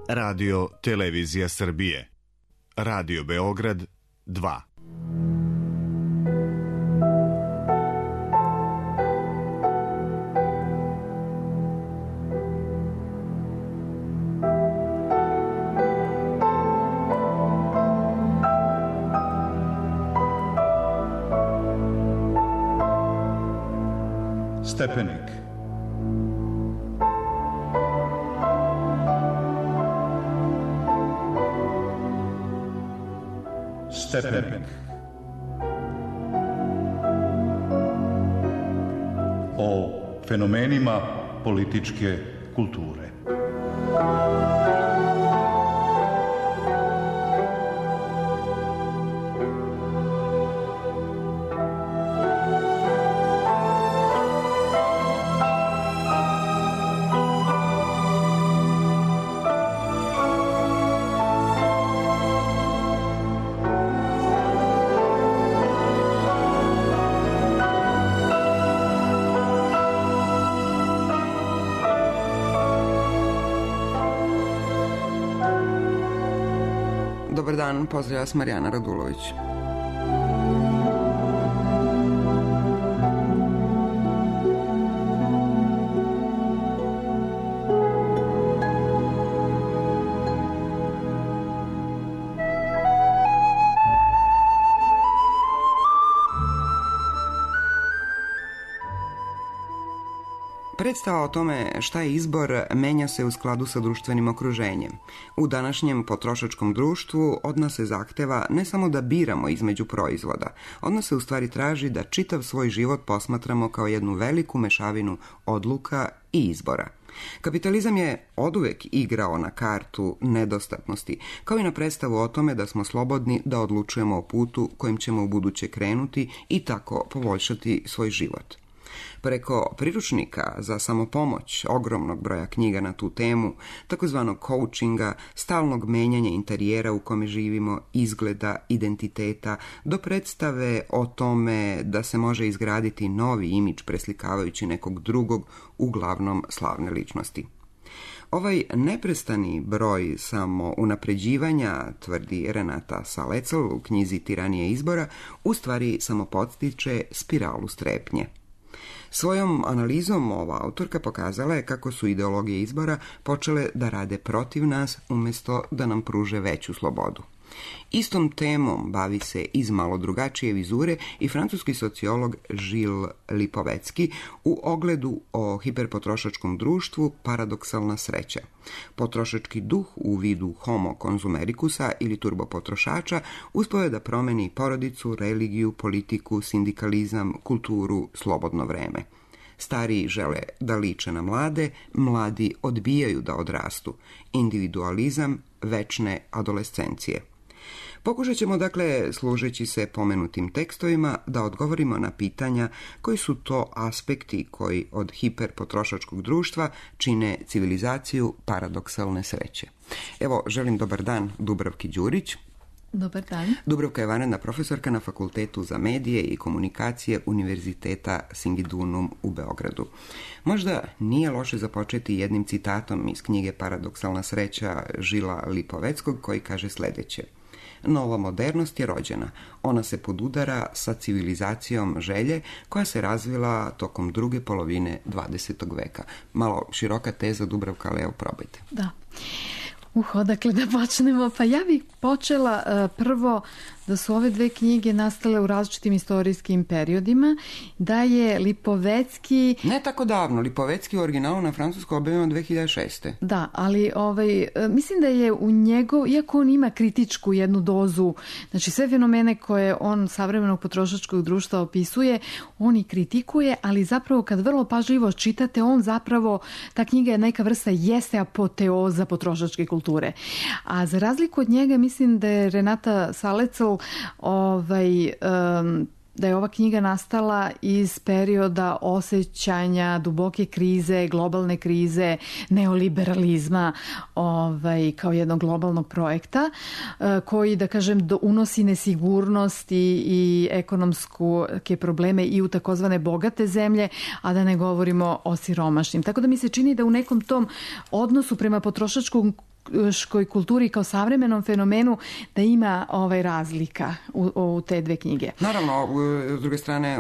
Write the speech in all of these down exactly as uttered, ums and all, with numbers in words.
Radio Televizija Srbije. Radio Beograd dva. Stepenik. Stepenik. O fenomenima političke kulture. Dobar dan, pozdravlja vas Marijana Radulović. Predstava o tome šta je izbor menja se u skladu sa društvenim okruženjem. U današnjem potrošačkom društvu od nas se zahteva ne samo da biramo između proizvoda, od nas se u stvari traži da čitav svoj život posmatramo kao jednu veliku mešavinu odluka i izbora. Kapitalizam je oduvek igrao na kartu nedostatnosti, kao i na predstavu o tome da smo slobodni da odlučujemo o putu kojim ćemo u buduće krenuti i tako poboljšati svoj život. Preko priručnika za samopomoć, ogromnog broja knjiga na tu temu, takozvanog coachinga, stalnog menjanja interijera u kome živimo, izgleda, identiteta, do predstave o tome da se može izgraditi novi imidž preslikavajući nekog drugog, uglavnom slavne ličnosti. Ovaj neprestani broj samounapređivanja, tvrdi Renata Salecl u knjizi Tiranije izbora, u stvari samo podstiče spiralu strepnje. Svojom analizom ova autorka pokazala je kako su ideologije izbora počele da rade protiv nas umjesto da nam pruže veću slobodu. Istom temom bavi se iz malo drugačije vizure i francuski sociolog Gilles Lipovetsky u ogledu o hiperpotrošačkom društvu Paradoksalna sreća. Potrošački duh u vidu homo konzumerikusa ili turbopotrošača uspeo je da promeni porodicu, religiju, politiku, sindikalizam, kulturu, slobodno vreme. Stariji žele da liče na mlade, mladi odbijaju da odrastu. Individualizam večne adolescencije. Pokušat ćemo, dakle, služeći se pomenutim tekstovima, da odgovorimo na pitanja koji su to aspekti koji od hiperpotrošačkog društva čine civilizaciju paradoksalne sreće. Evo, želim dobar dan Dubravki Đurić. Dobar dan. Dubravka je vanredna profesorka na Fakultetu za medije i komunikacije Univerziteta Singidunum u Beogradu. Možda nije loše započeti jednim citatom iz knjige Paradoksalna sreća Žila Lipoveckog koji kaže sljedeće. Nova modernost je rođena. Ona se podudara sa civilizacijom želje koja se razvila tokom druge polovine dvadesetog veka. Malo široka teza, Dubravka, ali evo probajte. Da. Uh, odakle da počnemo? Pa ja bih počela uh, prvo da su ove dve knjige nastale u različitim istorijskim periodima, da je Lipovecki... Ne tako davno, Lipovecki u originalu na francuskom objavljeno dve hiljade šeste. Da, ali ovaj, mislim da je u njegov, iako on ima kritičku jednu dozu, znači sve fenomene koje on savremenog potrošačkog društva opisuje, on i kritikuje, ali zapravo kad vrlo pažljivo čitate, on zapravo, ta knjiga je neka vrsta jeste apoteoza potrošačke kulture. A za razliku od njega, mislim da je Renata Salecl ovaj, um, da je ova knjiga nastala iz perioda osjećanja duboke krize, globalne krize, neoliberalizma ovaj, kao jednog globalnog projekta koji, da kažem, unosi nesigurnost i, i ekonomske probleme i u takozvane bogate zemlje, a da ne govorimo o siromašnim. Tako da mi se čini da u nekom tom odnosu prema potrošačkom potrošačkoj kulturi kao savremenom fenomenu da ima ovaj razlika u, u te dve knjige. Naravno, s druge strane,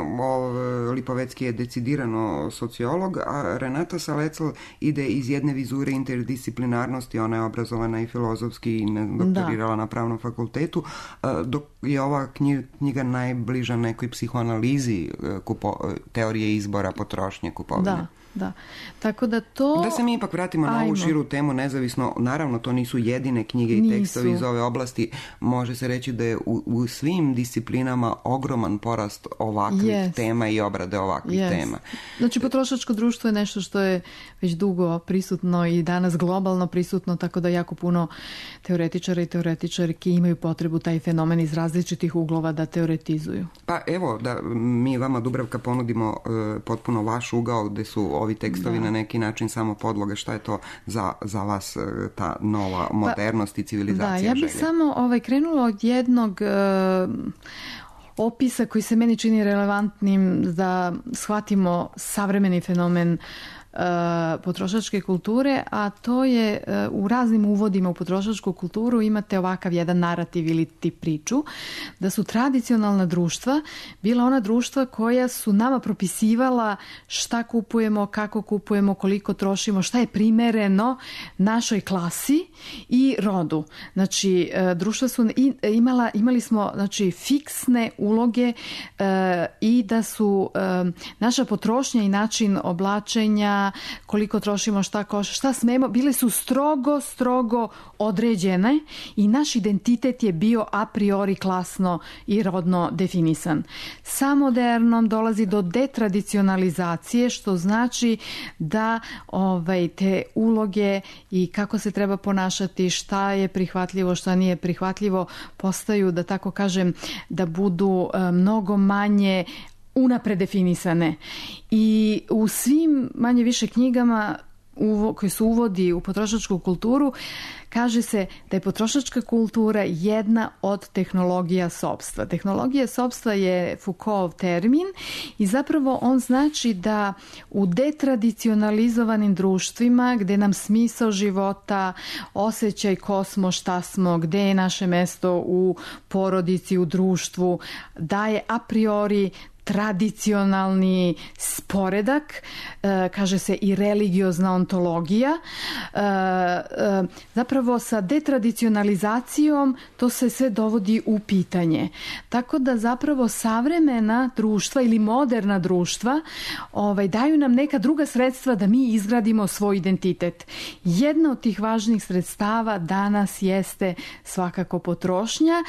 Lipovecki je decidirano sociolog, a Renata Salecl ide iz jedne vizure interdisciplinarnosti, ona je obrazovana i filozofski i doktorirala da. na pravnom fakultetu, dok je ova knjiga najbliža nekoj psihoanalizi kupo, teorije izbora, potrošnje, kupovine. Da. Da. Tako da to... Da se mi ipak vratimo Ajmo. na ovu širu temu, nezavisno, naravno to nisu jedine knjige i nisu. tekstovi iz ove oblasti, može se reći da je u, u svim disciplinama ogroman porast ovakvih yes. tema i obrade ovakvih yes. tema. Znači potrošačko društvo je nešto što je već dugo prisutno i danas globalno prisutno, tako da jako puno teoretičara i teoretičarki imaju potrebu taj fenomen iz različitih uglova da teoretizuju. Pa evo, da mi vama, Dubravka, ponudimo uh, potpuno vaš ugao gde su ovi tekstovi da. na neki način samo podloga. Šta je to za, za vas ta nova modernost pa, i civilizacija da, ja bih želje? samo ovaj, krenula od jednog uh, opisa koji se meni čini relevantnim da shvatimo savremeni fenomen potrošačke kulture, a to je u raznim uvodima u potrošačku kulturu imate ovakav jedan narativ ili ti priču, da su tradicionalna društva bila ona društva koja su nama propisivala šta kupujemo, kako kupujemo, koliko trošimo, šta je primereno našoj klasi i rodu. Znači, društva su imala, imali smo znači, fiksne uloge i da su naša potrošnja i način oblačenja, koliko trošimo, šta koša, šta smemo, bile su strogo, strogo određene i naš identitet je bio a priori klasno i rodno definisan. Sa modernom dolazi do detradicionalizacije, što znači da ovaj, te uloge i kako se treba ponašati, šta je prihvatljivo, šta nije prihvatljivo, postaju, da tako kažem, da budu mnogo manje unapred definisane. I u svim manje više knjigama uvo, koji su uvodi u potrošačku kulturu kaže se da je potrošačka kultura jedna od tehnologija sopstva. Tehnologija sopstva je Foucaultov termin i zapravo on znači da u detradicionalizovanim društvima gde nam smisao života, osjećaj ko smo, šta smo, gde je naše mesto u porodici, u društvu, daje a priori tradicionalni sporedak, kaže se i religiozna ontologija. Zapravo sa detradicionalizacijom to se sve dovodi u pitanje. Tako da zapravo savremena društva ili moderna društva ovaj, daju nam neka druga sredstva da mi izgradimo svoj identitet. Jedna od tih važnih sredstava danas jeste svakako potrošnja.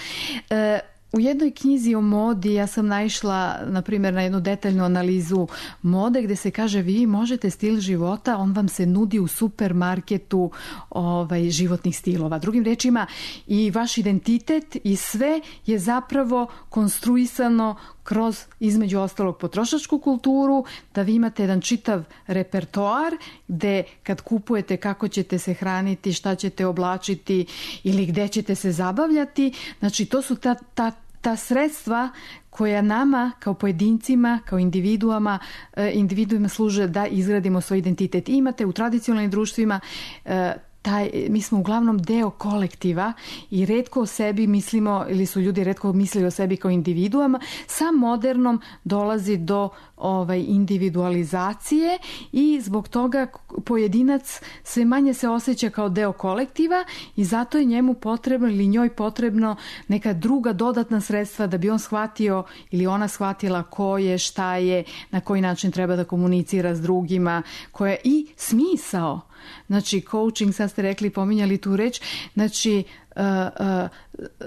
U jednoj knjizi o modi ja sam naišla, na primjer, na jednu detaljnu analizu mode gdje se kaže vi možete stil života, on vam se nudi u supermarketu ovaj, životnih stilova. Drugim rečima, i vaš identitet i sve je zapravo konstruisano kroz, između ostalog, potrošačku kulturu, da vi imate jedan čitav repertoar gde kad kupujete kako ćete se hraniti, šta ćete oblačiti ili gde ćete se zabavljati. Znači, to su ta, ta, ta sredstva koja nama kao pojedincima, kao individuama, individuima služe da izgradimo svoj identitet. I imate u tradicionalnim društvima taj, mi smo uglavnom deo kolektiva i retko o sebi mislimo, ili su ljudi retko mislili o sebi kao individuama. Sa modernom dolazi do ovaj, individualizacije i zbog toga pojedinac sve manje se osjeća kao deo kolektiva i zato je njemu potrebno ili njoj potrebno neka druga dodatna sredstva da bi on shvatio ili ona shvatila ko je, šta je, na koji način treba da komunicira s drugima, koja je i smisao. Znači, coaching, sad ste rekli, pominjali tu reč, znači, uh, uh,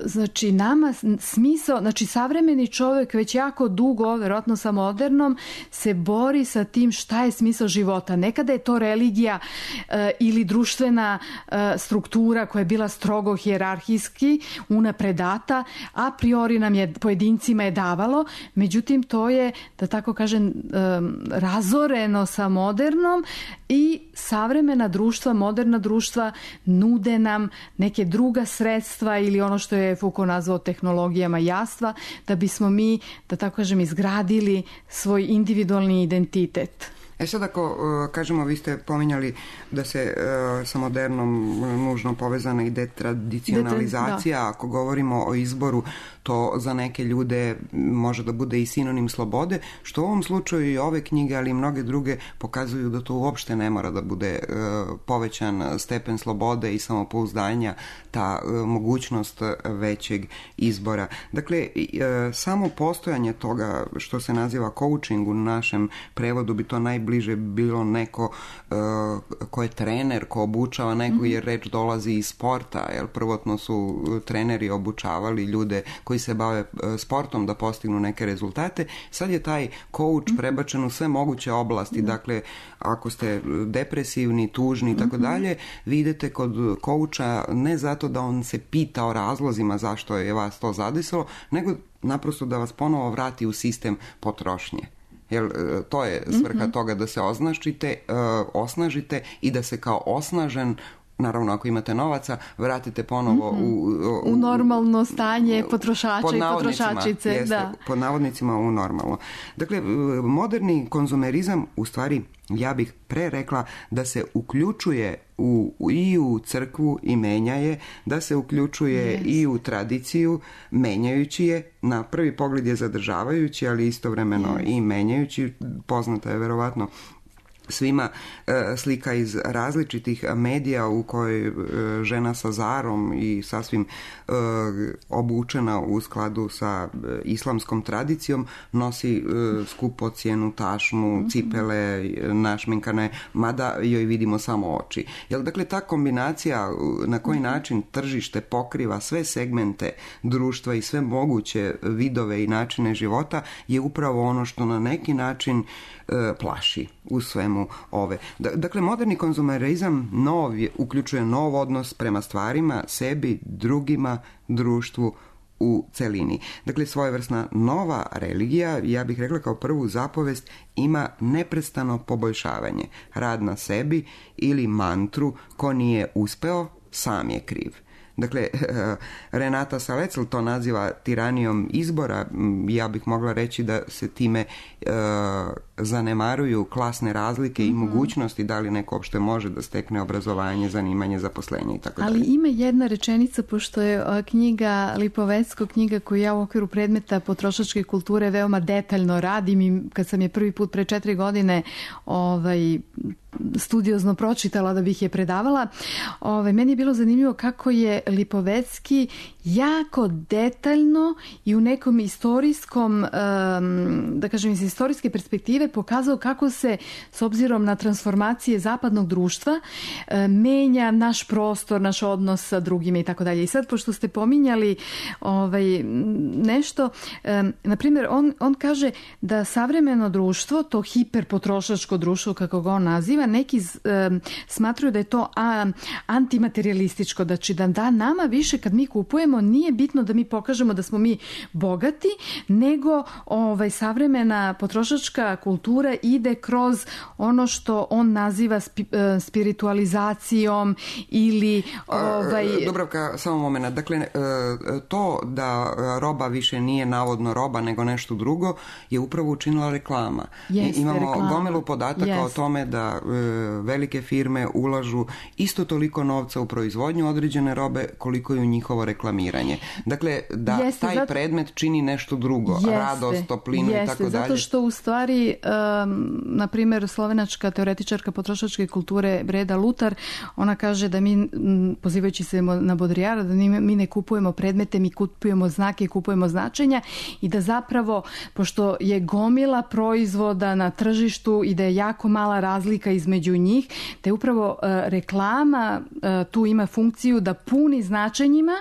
znači nama smisao, znači savremeni čovjek već jako dugo, vjerojatno sa modernom, se bori sa tim šta je smisao života. Nekada je to religija uh, ili društvena uh, struktura koja je bila strogo hijerarhijski unapredata, a priori nam je, pojedincima je davalo, međutim to je, da tako kažem, um, razoreno sa modernom i savremena društva, moderna društva nude nam neke druga sredstva ili ono što je Foucault nazvao tehnologijama jastva, da bismo mi, da tako kažem, izgradili svoj individualni identitet. E sad ako kažemo, vi ste pominjali da se sa modernom nužno povezana i detradicionalizacija, da. Ako govorimo o izboru, to za neke ljude može da bude i sinonim slobode, što u ovom slučaju i ove knjige, ali i mnoge druge pokazuju da to uopšte ne mora da bude povećan stepen slobode i samopouzdanja, ta mogućnost većeg izbora. Dakle, samo postojanje toga što se naziva coaching u našem prevodu bi to najbliže bilo neko ko je trener, ko obučava nekog, jer reč dolazi iz sporta, jer prvotno su treneri obučavali ljude koji se bave sportom da postignu neke rezultate. Sad je taj coach prebačen u sve moguće oblasti. Dakle, ako ste depresivni, tužni i tako dalje, vi idete kod coacha ne zato da on se pita o razlozima zašto je vas to zadesilo, nego naprosto da vas ponovo vrati u sistem potrošnje. Jer to je svrha mm-hmm. toga da se osnažite, uh, osnažite i da se kao osnažen, naravno ako imate novaca, vratite ponovo mm-hmm. u, u, u normalno stanje potrošača pod i potrošačice. Jeste, da. pod navodnicima u normalno. Dakle, moderni konzumerizam, u stvari, ja bih pre rekla da se uključuje u, i u crkvu i menja je, da se uključuje yes. i u tradiciju, menjajući je, na prvi pogled je zadržavajući, ali istovremeno yes. i menjajući. Poznata je verovatno svima e, slika iz različitih medija u kojoj e, žena sa zarom i sasvim e, obučena u skladu sa e, islamskom tradicijom nosi e, skupocjenu tašnu, cipele našminkane, mada joj vidimo samo oči. Jel, dakle, ta kombinacija na koji način tržište pokriva sve segmente društva i sve moguće vidove i načine života je upravo ono što na neki način e, plaši u svemu ove. Dakle, moderni konzumerizam nov je, uključuje nov odnos prema stvarima, sebi, drugima, društvu u celini. Dakle, svojevrsna nova religija, ja bih rekla kao prvu zapovest, ima neprestano poboljšavanje. Rad na sebi ili mantru ko nije uspeo, sam je kriv. Dakle, Renata Salecl to naziva tiranijom izbora. Ja bih mogla reći da se time e, zanemaruju klasne razlike mm-hmm. i mogućnosti da li neko uopšte može da stekne obrazovanje, zanimanje, zaposlenje i tako dalje. Ali ima jedna rečenica, pošto je knjiga Lipovecko, knjiga koju ja u okviru predmeta potrošačke kulture veoma detaljno radim i kad sam je prvi put pre četiri godine ovaj, studiozno pročitala da bih je predavala, ovaj, meni je bilo zanimljivo kako je Lipovecki jako detaljno i u nekom istorijskom, da kažem iz istorijske perspektive pokazao kako se s obzirom na transformacije zapadnog društva menja naš prostor, naš odnos sa drugima i tako dalje. I sad, pošto ste pominjali ovaj, nešto, na primjer, on, on kaže da savremeno društvo, to hiperpotrošačko društvo, kako ga on naziva, neki smatruju da je to antimaterialističko, znači da, da nama više kad mi kupujemo nije bitno da mi pokažemo da smo mi bogati, nego ovaj, savremena potrošačka kultura ide kroz ono što on naziva spi, spiritualizacijom ili... Ovaj... Dubravka, samo moment. Dakle, to da roba više nije navodno roba nego nešto drugo je upravo učinila reklama. Jeste, Imamo reklama. gomilu podataka Jeste. o tome da velike firme ulažu isto toliko novca u proizvodnju određene robe koliko i u njihovo reklamiranje. Dakle, da jeste, taj zato... predmet čini nešto drugo, jeste, radost, toplinu jeste, i tako dalje. Zato što u stvari, um, na primjer, slovenačka teoretičarka potrošačke kulture Breda Lutar, ona kaže da mi, m, pozivajući se na Baudrillarda, da mi ne kupujemo predmete, mi kupujemo znake, kupujemo značenja i da zapravo, pošto je gomila proizvoda na tržištu i da je jako mala razlika između njih, da je upravo uh, reklama uh, tu ima funkciju da puni značenjima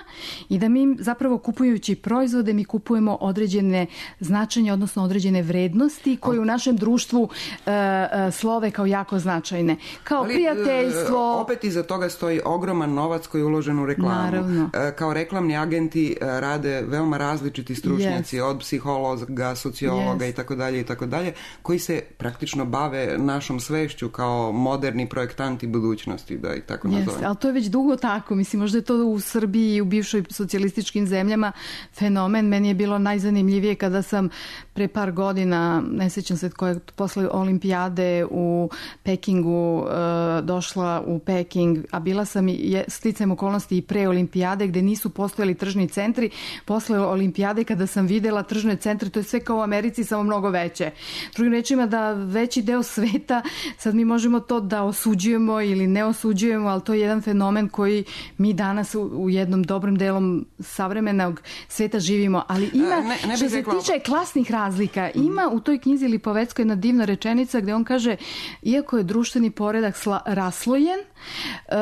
i da mi zapravo kupujući proizvode mi kupujemo određene značenja, odnosno određene vrednosti koje u našem društvu uh, uh, slove kao jako značajne. Kao ali, prijateljstvo. Opet iza toga stoji ogroman novac koji je uložen u reklamu. Naravno. Kao reklamni agenti rade veoma različiti stručnjaci, yes. od psihologa, sociologa yes. i tako dalje i tako dalje, koji se praktično bave našom svešću kao kao moderni projektanti budućnosti, da i tako nazovem. Jeste, ali to je već dugo tako. Mislim, možda je to u Srbiji i u bivšoj socijalističkim zemljama fenomen. Meni je bilo najzanimljivije kada sam pre par godina, ne sjećam se koje, posle olimpijade u Pekingu e, došla u Peking, a bila sam i sticajem okolnosti i pre olimpijade gde nisu postojali tržni centri. Posle olimpijade kada sam videla tržne centre, to je sve kao u Americi, samo mnogo veće. Drugim rečima da veći deo sveta, sad mi možemo to da osuđujemo ili ne osuđujemo, ali to je jedan fenomen koji mi danas u, u jednom dobrom delom savremenog sveta živimo. Ali ima, ne, ne što se rekla... tiče klasnih razlika, ima u toj knjizi Lipoveckoj jedna divna rečenica gde on kaže, iako je društveni poredak sla, raslojen, uh,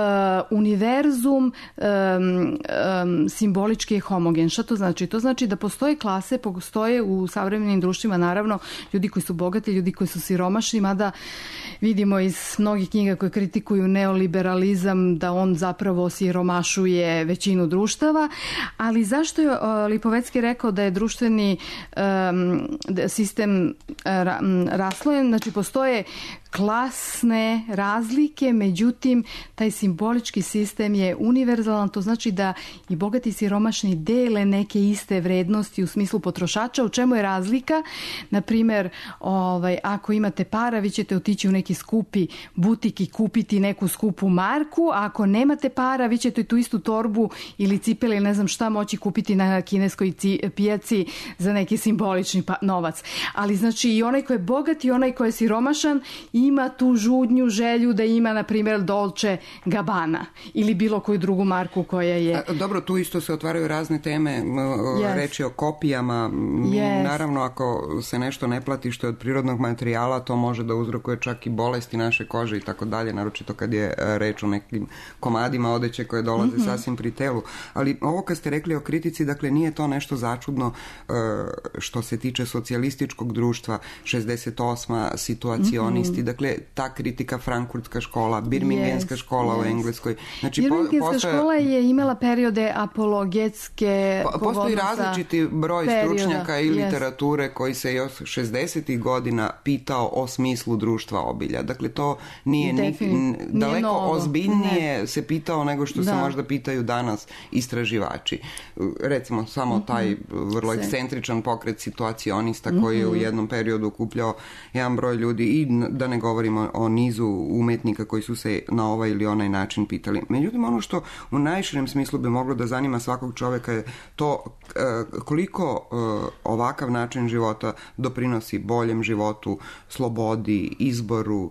univerzum um, um, simbolički je homogen. Šta to znači? To znači da postoje klase, postoje u savremenim društvima naravno ljudi koji su bogati, ljudi koji su siromašni, mada vidimo iz mnogih knjiga koje kritikuju neoliberalizam da on zapravo siromašuje većinu društava, ali zašto je Lipovecki rekao da je društveni um, sistem ra, raslojen? Znači postoje klasne razlike, međutim taj simbolički sistem je univerzalan, to znači da i bogati i siromašni dele neke iste vrednosti u smislu potrošača. U čemu je razlika? Na primjer, ovaj, ako imate para, vi ćete otići u neki skupi butik i kupiti neku skupu marku, a ako nemate para, vi ćete tu istu torbu ili cipele ili ne znam šta moći kupiti na kineskoj pijaci za neki simbolični pa, novac. Ali znači i onaj ko je bogat i onaj ko je siromašan ima tu žudnju, želju da ima, na primjer, Dolce Gabbana ili bilo koju drugu marku koja je... A, dobro, tu isto se otvaraju razne teme, yes. reči o kopijama. Yes. Naravno, ako se nešto ne plati što je od prirodnog materijala, to može da uzrokuje čak i bolesti naše kože i tako dalje, naročito kad je reč o nekim komadima odeće koje dolaze mm-hmm. sasvim pri telu. Ali ovo kad ste rekli o kritici, dakle, nije to nešto začudno što se tiče socijalističkog društva, šezdeset osma situacionisti, mm-hmm. dakle, ta kritika, frankfurtska škola, birmingenska yes, škola yes. u Engleskoj. Znači, birmingenska postoje... škola je imala periode apologetske po, postoji različiti broj perioda. stručnjaka i literature yes. koji se još šezdesetih godina pitao o smislu društva obilja. Dakle, to nije, ni, n, daleko nije ozbiljnije ne. se pitao nego što da. se možda pitaju danas istraživači. Recimo, samo mm-hmm. taj vrlo se. ekscentričan pokret situacionista mm-hmm. koji je u jednom periodu okupljao jedan broj ljudi i da ne govorimo o nizu umetnika koji su se na ovaj ili onaj način pitali. Međutim, ono što u najširem smislu bi moglo da zanima svakog čoveka je to koliko ovakav način života doprinosi boljem životu, slobodi, izboru,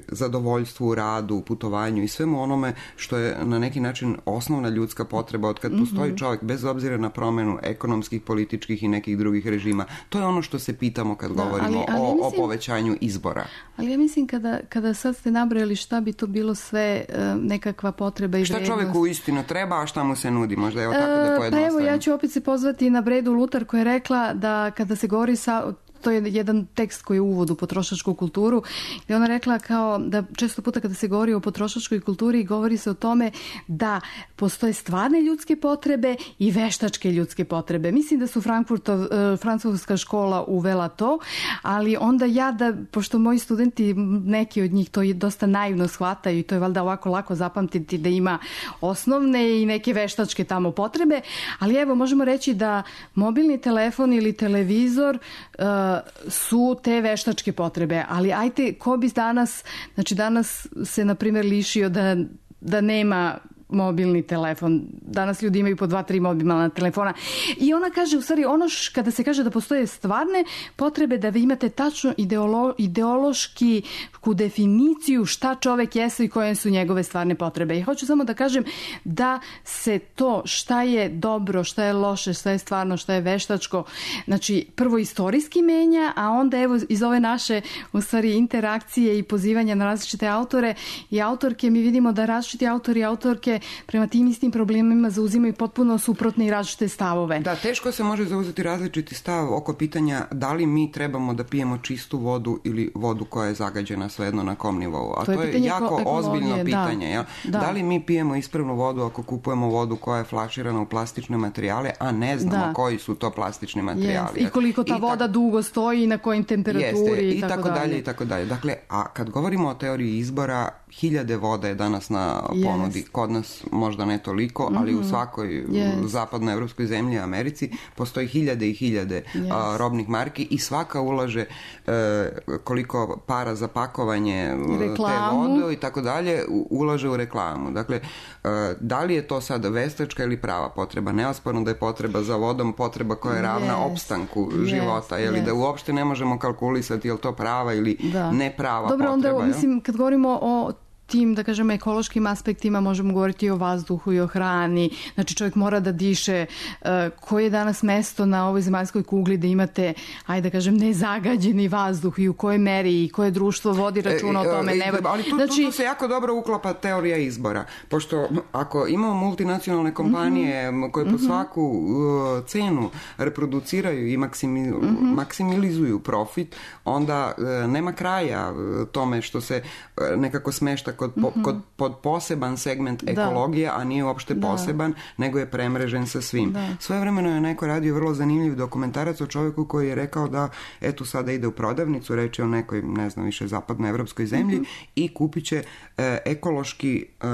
zadovoljstvu u radu, putovanju i svemu onome što je na neki način osnovna ljudska potreba od kad mm-hmm. postoji čovjek, bez obzira na promenu ekonomskih, političkih i nekih drugih režima. To je ono što se pitamo kad da, govorimo ali, ali o, mislim... o povećanju izbora. Ali ja mislim kada, kada sad ste nabrojali šta bi to bilo sve nekakva potreba i šta vrednost. Čovjeku uistinu treba, a šta mu se nudi? Možda je tako da pojednostavimo. Pa evo, ja ću opet se pozvati na Bredu Lutar koja je rekla da kada se govori sa... To je jedan tekst koji je uvod u potrošačku kulturu, gdje ona rekla kao da često puta kada se govori o potrošačkoj kulturi govori se o tome da postoje stvarne ljudske potrebe i veštačke ljudske potrebe. Mislim da su Frankfurtov, francuska škola uvela to, ali onda ja da, pošto moji studenti, neki od njih to dosta naivno shvataju i to je valjda ovako lako zapamtiti da ima osnovne i neke veštačke tamo potrebe, ali evo možemo reći da mobilni telefon ili televizor uh, su te veštačke potrebe, ali ajte, ko bi danas, znači danas se na primjer lišio da, da nema mobilni telefon. Danas ljudi imaju po dva, tri mobilna telefona. I ona kaže, u stvari, ono š, kada se kaže da postoje stvarne potrebe, da vi imate tačno ideolo, ideološki ku definiciju šta čovek jeste i koje su njegove stvarne potrebe. I hoću samo da kažem da se to šta je dobro, šta je loše, šta je stvarno, šta je veštačko, znači prvo istorijski menja, a onda evo iz ove naše u stvari interakcije i pozivanja na različite autore i autorke mi vidimo da različiti autori i autorke koje prema tim istim problemima zauzimaju potpuno suprotne i različite stavove. Da, teško se može zauzeti različiti stav oko pitanja da li mi trebamo da pijemo čistu vodu ili vodu koja je zagađena, svejedno na kom nivou. A to je, to je jako ozbiljno pitanje. Ja? Da. da li mi pijemo ispravnu vodu ako kupujemo vodu koja je flaširana u plastične materijale, a ne znamo da. koji su to plastični materijali. Yes. I koliko ta I voda tako... dugo stoji i na kojim temperaturi Jeste. i, i tako dalje. dalje. I tako dalje. Dakle, a kad govorimo o teoriji izbora, hiljade voda je danas na ponudi. Yes. Kod nas možda ne toliko, mm-hmm. ali u svakoj yes. zapadnoevropskoj zemlji, Americi, postoji hiljade i hiljade yes. a, robnih marki i svaka ulaže e, koliko para za pakovanje reklamu. te vode i tako dalje, ulaže u reklamu. Dakle, e, da li je to sad veštačka ili prava potreba? Neosporno da je potreba za vodom potreba koja je ravna yes. opstanku yes. života, je li yes. da uopšte ne možemo kalkulisati je li to prava ili da. ne prava Dobro, potreba. Dobro, onda, mislim, kad govorimo o tim, da kažem, ekološkim aspektima možemo govoriti i o vazduhu i o hrani. Znači, čovjek mora da diše. Uh, koje je danas mesto na ovoj zemaljskoj kugli da imate, ajde da kažem, nezagađeni vazduh i u kojoj meri i koje društvo vodi računa e, o tome. E, ne... Ali tu, znači... tu, tu se jako dobro uklapa teorija izbora. Pošto ako imamo multinacionalne kompanije mm-hmm. koje po mm-hmm. svaku uh, cenu reproduciraju i maksimi, mm-hmm. maksimilizuju profit, onda uh, nema kraja uh, tome što se uh, nekako smešta Kod, mm-hmm. kod, pod poseban segment ekologije, a nije uopšte da. poseban, nego je premrežen sa svim. Da. Svojevremeno je neko radio vrlo zanimljiv dokumentarac o čovjeku koji je rekao da eto sada ide u prodavnicu, reč je o nekoj, ne znam više, zapadnoevropskoj zemlji mm-hmm. i kupit će e, ekološki e,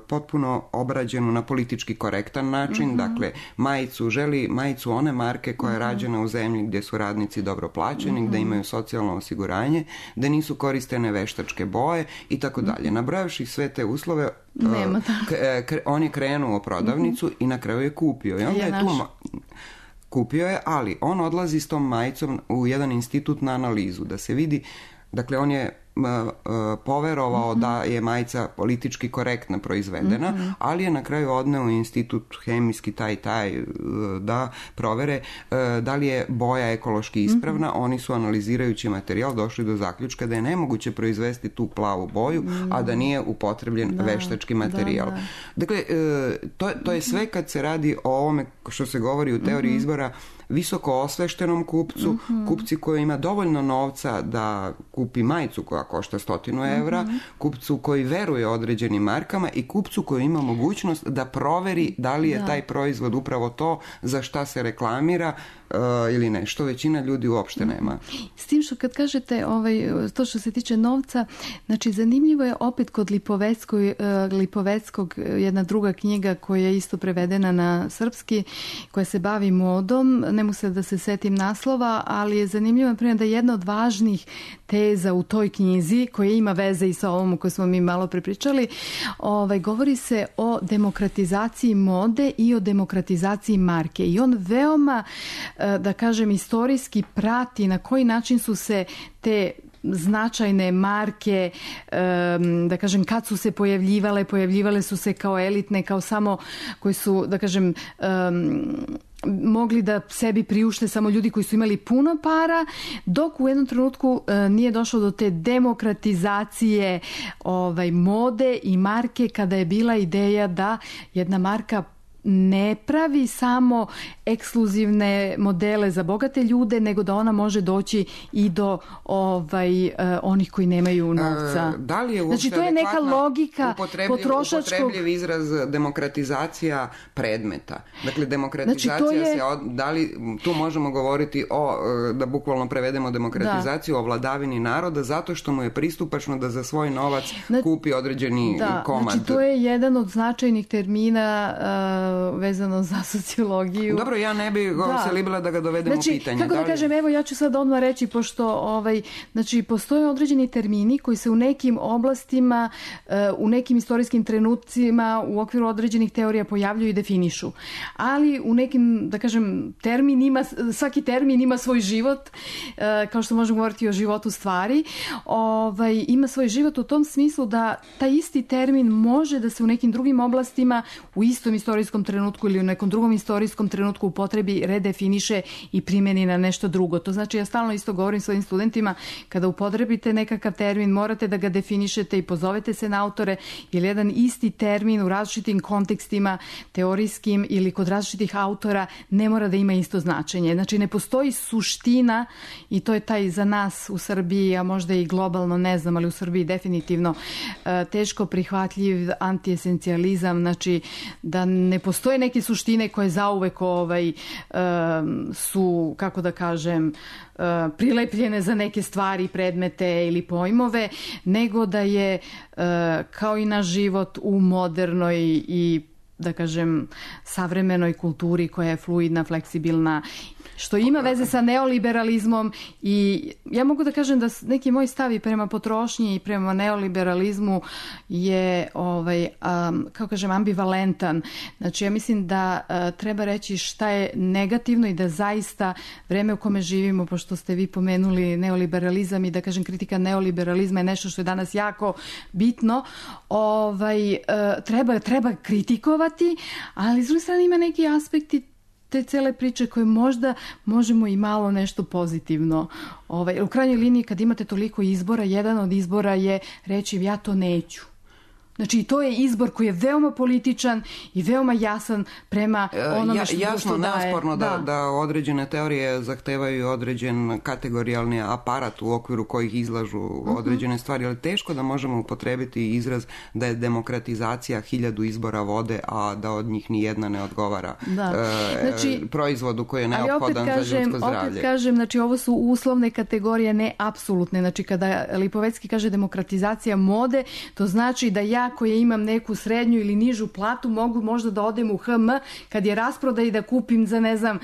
potpuno obrađenu na politički korektan način, mm-hmm. dakle majicu, želi majicu one marke koja je mm-hmm. rađena u zemlji gdje su radnici dobro plaćeni, mm-hmm. gdje imaju socijalno osiguranje, gdje nisu koristene veštačke boje i tako dalje. Nabrojavši sve te uslove, Nema k- k- on je krenuo u prodavnicu mm-hmm. i na kraju je kupio. I onda je, je tu ma- kupio je, ali on odlazi s tom majicom u jedan institut na analizu, da se vidi, dakle on je poverovao mm-hmm. da je majica politički korektno proizvedena, mm-hmm. ali je na kraju odneo u institut hemijski taj taj da provere da li je boja ekološki ispravna. Mm-hmm. Oni su analizirajući materijal došli do zaključka da je nemoguće proizvesti tu plavu boju, mm-hmm. a da nije upotrebljen da, veštački materijal. Da, da. Dakle, to, to je sve kad se radi o ovome što se govori u teoriji mm-hmm. izbora, visoko osveštenom kupcu, mm-hmm. kupci koji ima dovoljno novca da kupi majicu koja košta stotinu evra, mm-hmm. kupcu koji veruje određenim markama i kupcu koji ima mogućnost da proveri da li je da. taj proizvod upravo to za šta se reklamira uh, ili ne, što većina ljudi uopšte nema. S tim što kad kažete ovaj, to što se tiče novca, znači zanimljivo je opet kod Lipoveckog, uh, Lipoveckog jedna druga knjiga koja je isto prevedena na srpski, koja se bavi modom, ne mogu se da se setim naslova, ali je zanimljivo primjer da je jedna od važnih teza u toj knjizi, koja ima veze i sa ovom koju smo mi malo prepričali, ovaj, govori se o demokratizaciji mode i o demokratizaciji marke. I on veoma, da kažem, istorijski prati na koji način su se te značajne marke, da kažem, kad su se pojavljivale, pojavljivale su se kao elitne, kao samo koji su, da kažem, mogli da sebi priušte samo ljudi koji su imali puno para, dok u jednom trenutku e, nije došlo do te demokratizacije ovaj, mode i marke, kada je bila ideja da jedna marka ne pravi samo ekskluzivne modele za bogate ljude, nego da ona može doći i do ovaj, uh, onih koji nemaju novca. E, da li je uopšte znači, to je neka logika upotrebljiv, potrošačkog... upotrebljiv izraz demokratizacija predmeta. Dakle, demokratizacija znači, je... se... Od, da li tu možemo govoriti o, da bukvalno prevedemo demokratizaciju da. o vladavini naroda, zato što mu je pristupačno da za svoj novac znači, kupi određeni da, komad. Znači, to je jedan od značajnih termina uh, vezano za sociologiju. Dobro, ja ne bi da. se libila da ga dovedem znači, u pitanje. Kako da, da kažem, evo ja ću sad odmah reći, pošto ovaj, znači, postoje određeni termini koji se u nekim oblastima, u nekim istorijskim trenucima u okviru određenih teorija pojavljuju i definišu. Ali u nekim, da kažem, termin ima, svaki termin ima svoj život, kao što možemo govoriti o životu stvari, ovaj, ima svoj život u tom smislu da taj isti termin može da se u nekim drugim oblastima u istom istorijskom istorijskom trenutku ili u nekom drugom istorijskom trenutku upotrebi, redefiniše i primeni na nešto drugo. To znači, ja stalno isto govorim svojim studentima, kada upotrebite nekakav termin, morate da ga definišete i pozovete se na autore, jer jedan isti termin u različitim kontekstima, teorijskim ili kod različitih autora, ne mora da ima isto značenje. Znači, ne postoji suština, i to je taj za nas u Srbiji, a možda i globalno, ne znam, ali u Srbiji definitivno teško prihvatljiv antiesencijalizam, znači da ne postoje neke suštine koje zauvek ovaj, su, kako da kažem, prilepljene za neke stvari, predmete ili pojmove, nego da je kao i naš život u modernoj i, da kažem, savremenoj kulturi koja je fluidna, fleksibilna, što ima veze sa neoliberalizmom. I ja mogu da kažem da neki moj stav i prema potrošnji i prema neoliberalizmu je, ovaj, um, kako kažem, ambivalentan. Znači, ja mislim da uh, treba reći šta je negativno i da zaista vreme u kome živimo, pošto ste vi pomenuli neoliberalizam i da kažem kritika neoliberalizma je nešto što je danas jako bitno, ovaj, uh, treba, treba kritikovati, ali s druge strane ima neki aspekti te cele priče koje možda možemo i malo nešto pozitivno. Ovaj, u krajnjoj liniji, kad imate toliko izbora, jedan od izbora je reći ja to neću. Znači, to je izbor koji je veoma političan i veoma jasan prema onome što, ja, jasno, što daje. Jasno, neosporno da, da. da određene teorije zahtevaju određen kategorijalni aparat u okviru kojih izlažu uh-huh. određene stvari, ali teško da možemo upotrebiti izraz da je demokratizacija hiljadu izbora vode, a da od njih ni jedna ne odgovara da. e, znači, proizvodu koji je neophodan kažem, za ljudsko zdravlje. Opet kažem, znači, ovo su uslovne kategorije, ne apsolutne. Znači, kada Lipovecki kaže demokratizacija mode, to znači da ja koja imam neku srednju ili nižu platu, mogu možda da odem u H M kad je rasproda i da kupim za, ne znam,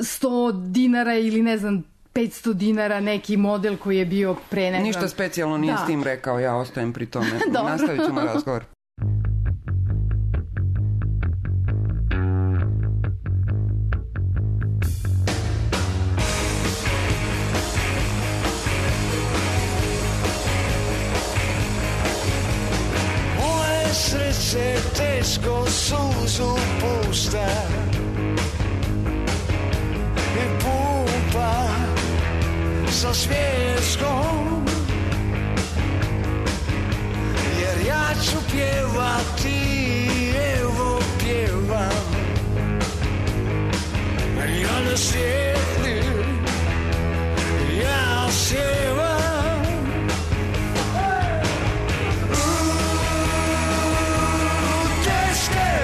sto dinara ili, ne znam, petsto dinara neki model koji je bio pre, ne znam. Ništa specijalno nije da. S tim rekao, ja ostajem pri tome. Nastavit ćemo razgovor. Srce teško suzu pušta i pumpa sa smješkom, jer ja ću pjevati, evo pjevam, ja ne sjedim, ja sjevam. Teške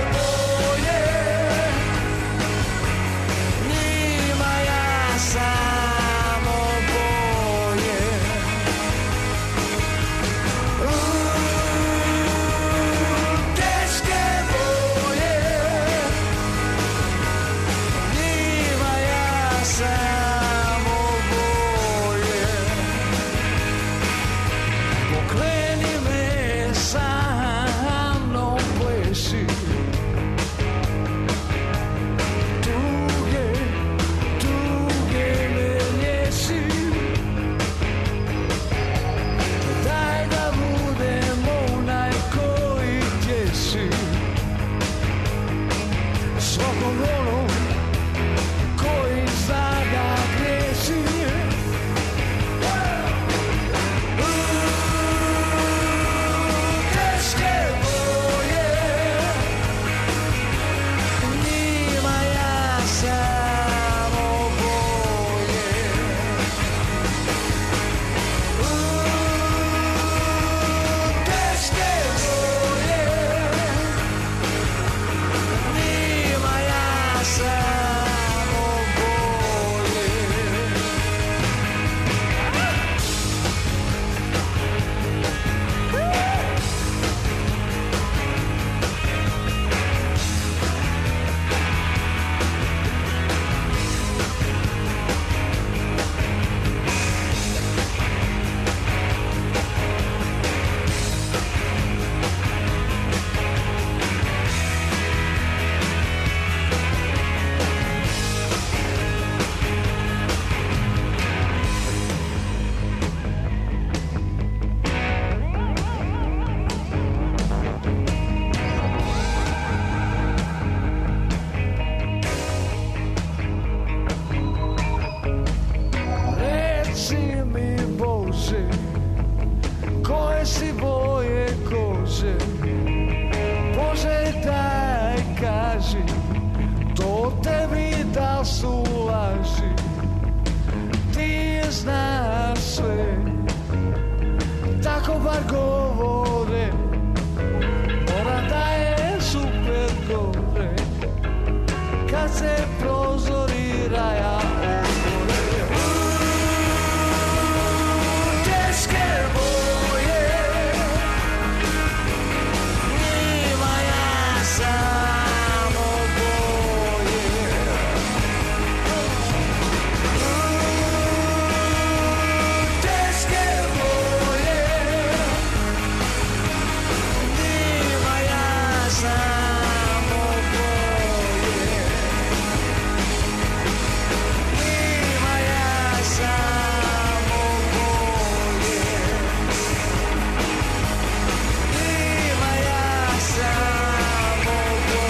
gore, kad se prozori raja otvore. Teške boje, njima ja samo boje. Teške boje, njima ja samo boje. Njima ja samo boje. Njima ja samo boje.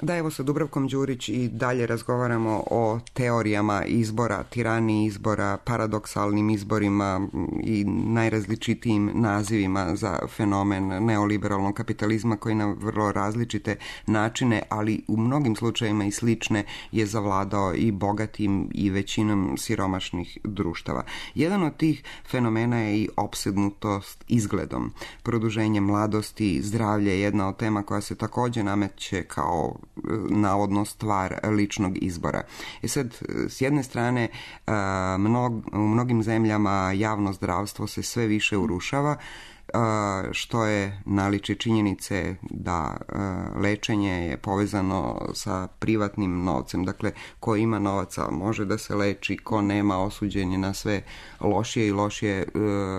Da, evo sa Dubravkom Đurić i dalje razgovaramo o teorijama izbora, tiraniji izbora, paradoksalnim izborima i najrazličitijim nazivima za fenomen neoliberalnog kapitalizma koji na vrlo različite načine, ali u mnogim slučajevima i slične, je zavladao i bogatim i većinom siromašnih društava. Jedan od tih fenomena je i opsednutost izgledom. Produženje mladosti, zdravlje je jedna od tema koja se također nameće kao navodno stvar ličnog izbora. I sad, s jedne strane, mnog, u mnogim zemljama javno zdravstvo se sve više urušava, što je naličje činjenice da lečenje je povezano sa privatnim novcem. Dakle, ko ima novaca može da se leči, ko nema osuđen je na sve lošije i lošije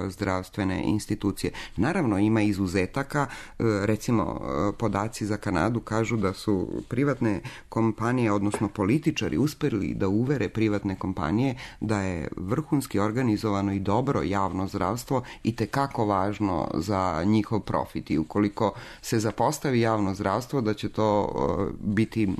zdravstvene institucije. Naravno, ima izuzetaka. Recimo, podaci za Kanadu kažu da su privatne kompanije, odnosno političari, uspjeli da uvere privatne kompanije da je vrhunski organizovano i dobro javno zdravstvo itekako važno za njihov profit i ukoliko se zapostavi javno zdravstvo da će to uh, biti uh,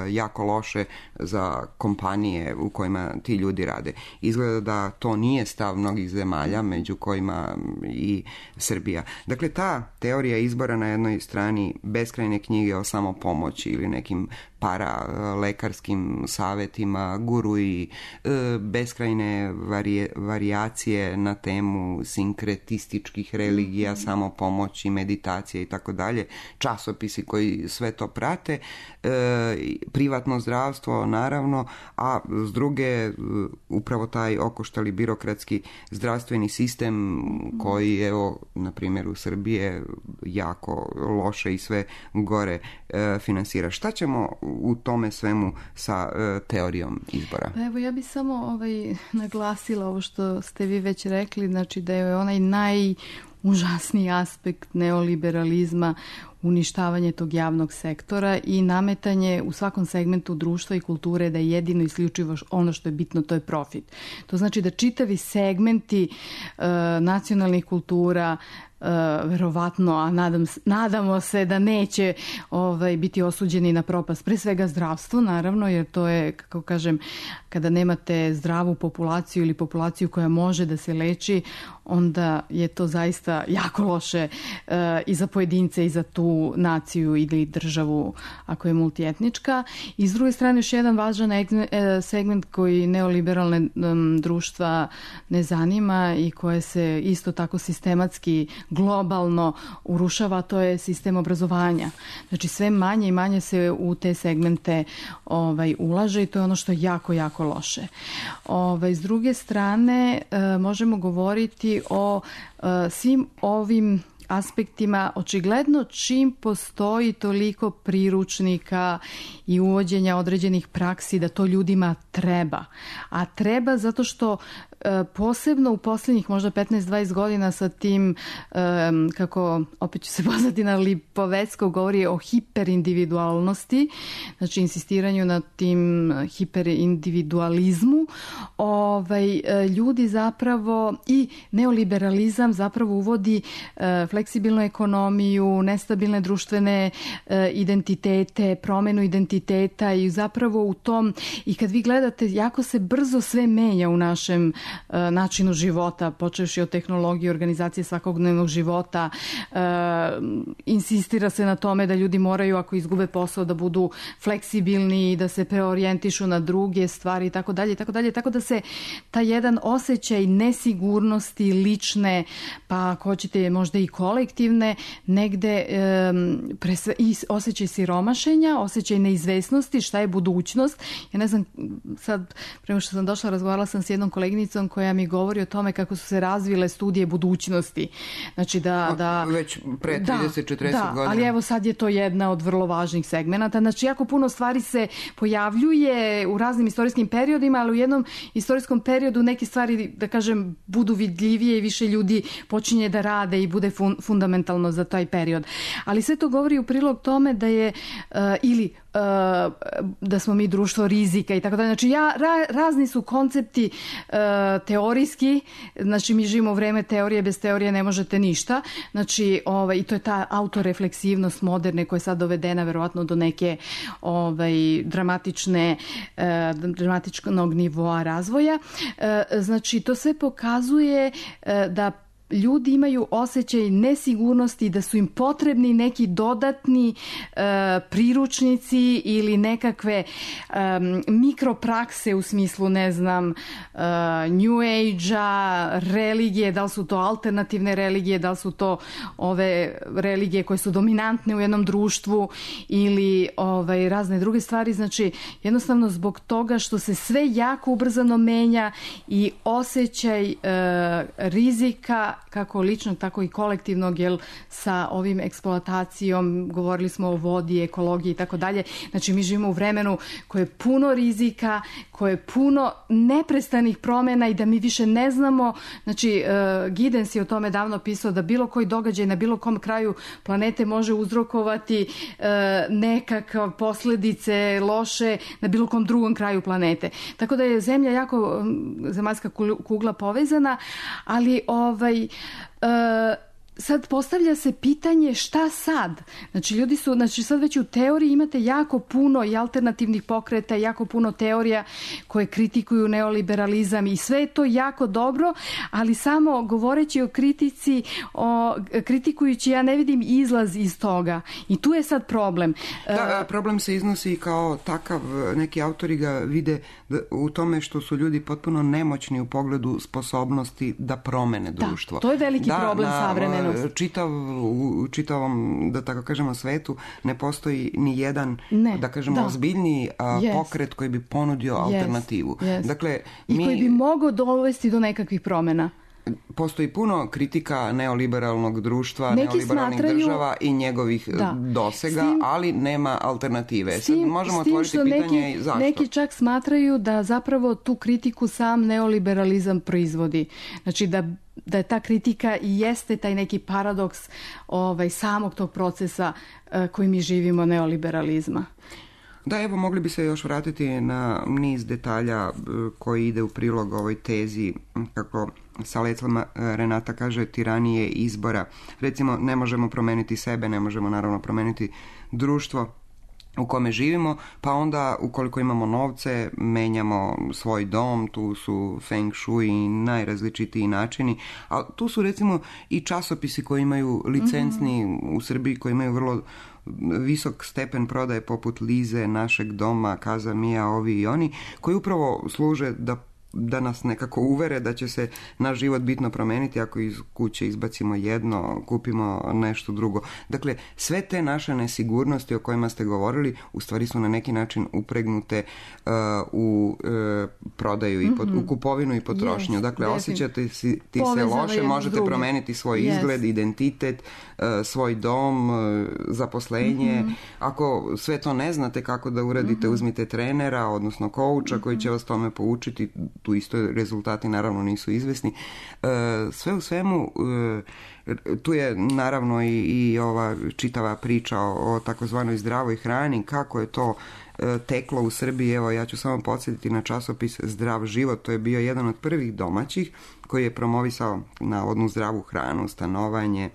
jako loše za kompanije u kojima ti ljudi rade. Izgleda da to nije stav mnogih zemalja, među kojima i Srbija. Dakle, ta teorija izbora na jednoj strani beskrajne knjige o samopomoći ili nekim para lekarskim savjetima, guru i e, beskrajne varije, varijacije na temu sinkretističkih religija, samopomoći, meditacije i tako dalje, časopisi koji sve to prate, e, privatno zdravstvo naravno, a s druge upravo taj okoštali birokratski zdravstveni sistem koji, evo, na primjer u Srbije jako loše i sve gore e, finansira. Šta ćemo u tome svemu sa e, teorijom izbora? Pa evo, ja bih samo ovaj, naglasila ovo što ste vi već rekli, znači da je onaj najužasniji aspekt neoliberalizma uništavanje tog javnog sektora i nametanje u svakom segmentu društva i kulture da je jedino isključivo ono što je bitno, to je profit. To znači da čitavi segmenti e, nacionalnih kultura, Uh, verovatno, a nadam, nadamo se da neće ovaj, biti osuđeni na propast. Pre svega zdravstvo, naravno, jer to je, kako kažem, kada nemate zdravu populaciju ili populaciju koja može da se leči, onda je to zaista jako loše uh, i za pojedince i za tu naciju ili državu ako je multietnička. I s druge strane, još jedan važan segment koji neoliberalne um, društva ne zanima i koje se isto tako sistematski globalno urušava, to je sistem obrazovanja. Znači sve manje i manje se u te segmente ovaj, ulaže i to je ono što je jako, jako loše. Ovaj, s druge strane, e, možemo govoriti o e, svim ovim aspektima. Očigledno čim postoji toliko priručnika i uvođenja određenih praksi da to ljudima treba. A treba zato što posebno u posljednjih možda petnaest dvadeset godina sa tim, kako opet ću se pozvati na Lipovecko, govori o hiperindividualnosti, znači insistiranju na tim hiperindividualizmu, ovaj, ljudi zapravo i neoliberalizam zapravo uvodi fleksibilnu ekonomiju, nestabilne društvene e, identitete, promenu identiteta i zapravo u tom, i kad vi gledate, jako se brzo sve menja u našem e, načinu života, počevši od tehnologije, organizacije svakodnevnog života, e, insistira se na tome da ljudi moraju, ako izgube posao, da budu fleksibilni, da se preorijentišu na druge stvari i tako dalje, tako dalje, tako da se ta jedan osjećaj nesigurnosti lične, pa ako hoćete možda i kolektivne, negde um, presve, i osjećaj siromašenja, osjećaj neizvesnosti, šta je budućnost. Ja ne znam, sad, prema što sam došla, razgovarala sam s jednom koleginicom koja mi govori o tome kako su se razvile studije budućnosti. Znači da... da već pre trideset do četrdeset da, godina. Ali evo sad je to jedna od vrlo važnih segmenata. Znači jako puno stvari se pojavljuje u raznim istorijskim periodima, ali u jednom istorijskom periodu neke stvari, da kažem, budu vidljivije i više ljudi počinje da rade i bude fun, fundamentalno za taj period. Ali sve to govori u prilog tome da je uh, ili uh, da smo mi društvo rizika i tako dalje. Znači ja, ra, razni su koncepti uh, teorijski, znači mi živimo u vreme teorije, bez teorije ne možete ništa. Znači ovaj, i to je ta autorefleksivnost moderne koja je sad dovedena verovatno do neke ovaj, dramatične uh, dramatičnog nivoa razvoja. Uh, znači to sve pokazuje uh, da ljudi imaju osjećaj nesigurnosti, da su im potrebni neki dodatni e, priručnici ili nekakve e, mikroprakse u smislu, ne znam, e, New Age-a, religije, da li su to alternativne religije, da li su to ove religije koje su dominantne u jednom društvu ili ovaj, razne druge stvari. Znači, jednostavno zbog toga što se sve jako ubrzano menja i osjećaj e, rizika kako ličnog, tako i kolektivnog, jer sa ovim eksploatacijom, govorili smo o vodi, ekologiji i tako dalje. Znači, mi živimo u vremenu koje je puno rizika, koje je puno neprestanih promjena i da mi više ne znamo. Znači, uh, Giddens je o tome davno pisao da bilo koji događaj na bilo kom kraju planete može uzrokovati uh, nekakve posljedice loše na bilo kom drugom kraju planete. Tako da je Zemlja jako, zemaljska kugla povezana, ali ovaj Uh, sad postavlja se pitanje šta sad? Znači ljudi su, znači sad već u teoriji imate jako puno i alternativnih pokreta, jako puno teorija koje kritikuju neoliberalizam i sve je to jako dobro, ali samo govoreći o kritici, o, kritikujući, ja ne vidim izlaz iz toga. I tu je sad problem. Da, problem se iznosi kao takav, neki autori ga vide u tome što su ljudi potpuno nemoćni u pogledu sposobnosti da promene društvo. Da, to je veliki da, problem savremenog. Čitav, u čitavom, da tako kažemo, svetu ne postoji ni jedan, ne, da kažemo, da. ozbiljniji a, yes. pokret koji bi ponudio yes. alternativu. Yes. Dakle, I mi... koji bi mogao dovesti do nekakvih promjena. Postoji puno kritika neoliberalnog društva, neki neoliberalnih smatraju, država i njegovih da, dosega, tim, ali nema alternative. S tim, Sad možemo s tim otvoriti pitanje neki, zašto. Neki čak smatraju da zapravo tu kritiku sam neoliberalizam proizvodi. Znači da da je ta kritika i jeste taj neki paradoks ovaj, samog tog procesa uh, koji mi živimo, neoliberalizma. Da, evo, mogli bi se još vratiti na niz detalja koji ide u prilog ovoj tezi, kako sa lecom Renata kaže, tiranije izbora. Recimo, ne možemo promeniti sebe, ne možemo naravno promeniti društvo u kome živimo, pa onda ukoliko imamo novce, menjamo svoj dom, tu su feng shui i najrazličitiji načini, a tu su recimo i časopisi koji imaju licencni mm-hmm. u Srbiji, koji imaju vrlo visok stepen prodaje poput Lize, Našeg doma, Kaza Mija, ovi i oni, koji upravo služe da da nas nekako uvere da će se naš život bitno promeniti ako iz kuće izbacimo jedno, kupimo nešto drugo. Dakle, sve te naše nesigurnosti o kojima ste govorili u stvari su na neki način upregnute uh, u uh, prodaju i pot, mm-hmm. u kupovinu i potrošnju. Yes, dakle, osjećate si, ti se loše, možete druge. promeniti svoj yes. izgled, identitet, uh, svoj dom, uh, zaposlenje. Mm-hmm. Ako sve to ne znate kako da uradite, mm-hmm. uzmite trenera, odnosno kouča mm-hmm. koji će vas tome poučiti. Tu isto rezultati naravno nisu izvesni. Sve u svemu Tu je naravno i, i ova čitava priča o, o takozvanoj zdravoj hrani, kako je to teklo u Srbiji. Evo, ja ću samo podsjetiti na časopis Zdrav život, to je bio jedan od prvih domaćih koji je promovisao navodnu zdravu hranu, stanovanje,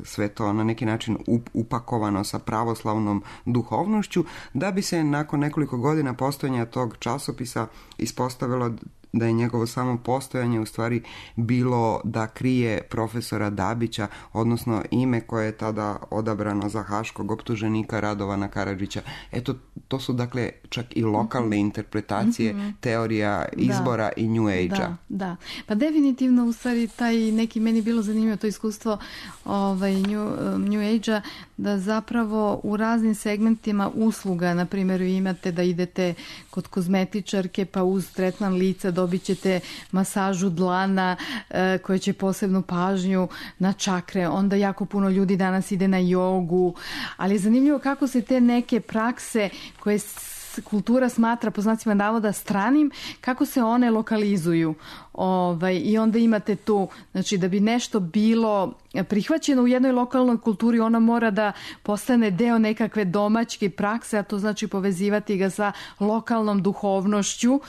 sve to na neki način upakovano sa pravoslavnom duhovnošću, da bi se nakon nekoliko godina postojanja tog časopisa ispostavilo da je njegovo samo postojanje u stvari bilo da krije profesora Dabića, odnosno ime koje je tada odabrano za haškog optuženika Radovana Karadžića. Eto, to su dakle čak i lokalne mm-hmm. interpretacije mm-hmm. teorija izbora da, i New Age-a. Da, da. Pa definitivno u stvari taj neki, meni bilo zanimljivo to iskustvo ovaj, New, New Age-a, da zapravo u raznim segmentima usluga, na primjer imate da idete kod kozmetičarke pa uz tretman lica dobit ćete masažu dlana e, koja će posebnu pažnju na čakre, onda jako puno ljudi danas ide na jogu, ali je zanimljivo kako se te neke prakse koje kultura smatra po znacima navoda stranim, kako se one lokalizuju. Ovaj, i onda imate tu, znači da bi nešto bilo prihvaćeno u jednoj lokalnoj kulturi, ona mora da postane deo nekakve domaćke prakse, a to znači povezivati ga sa lokalnom duhovnošću.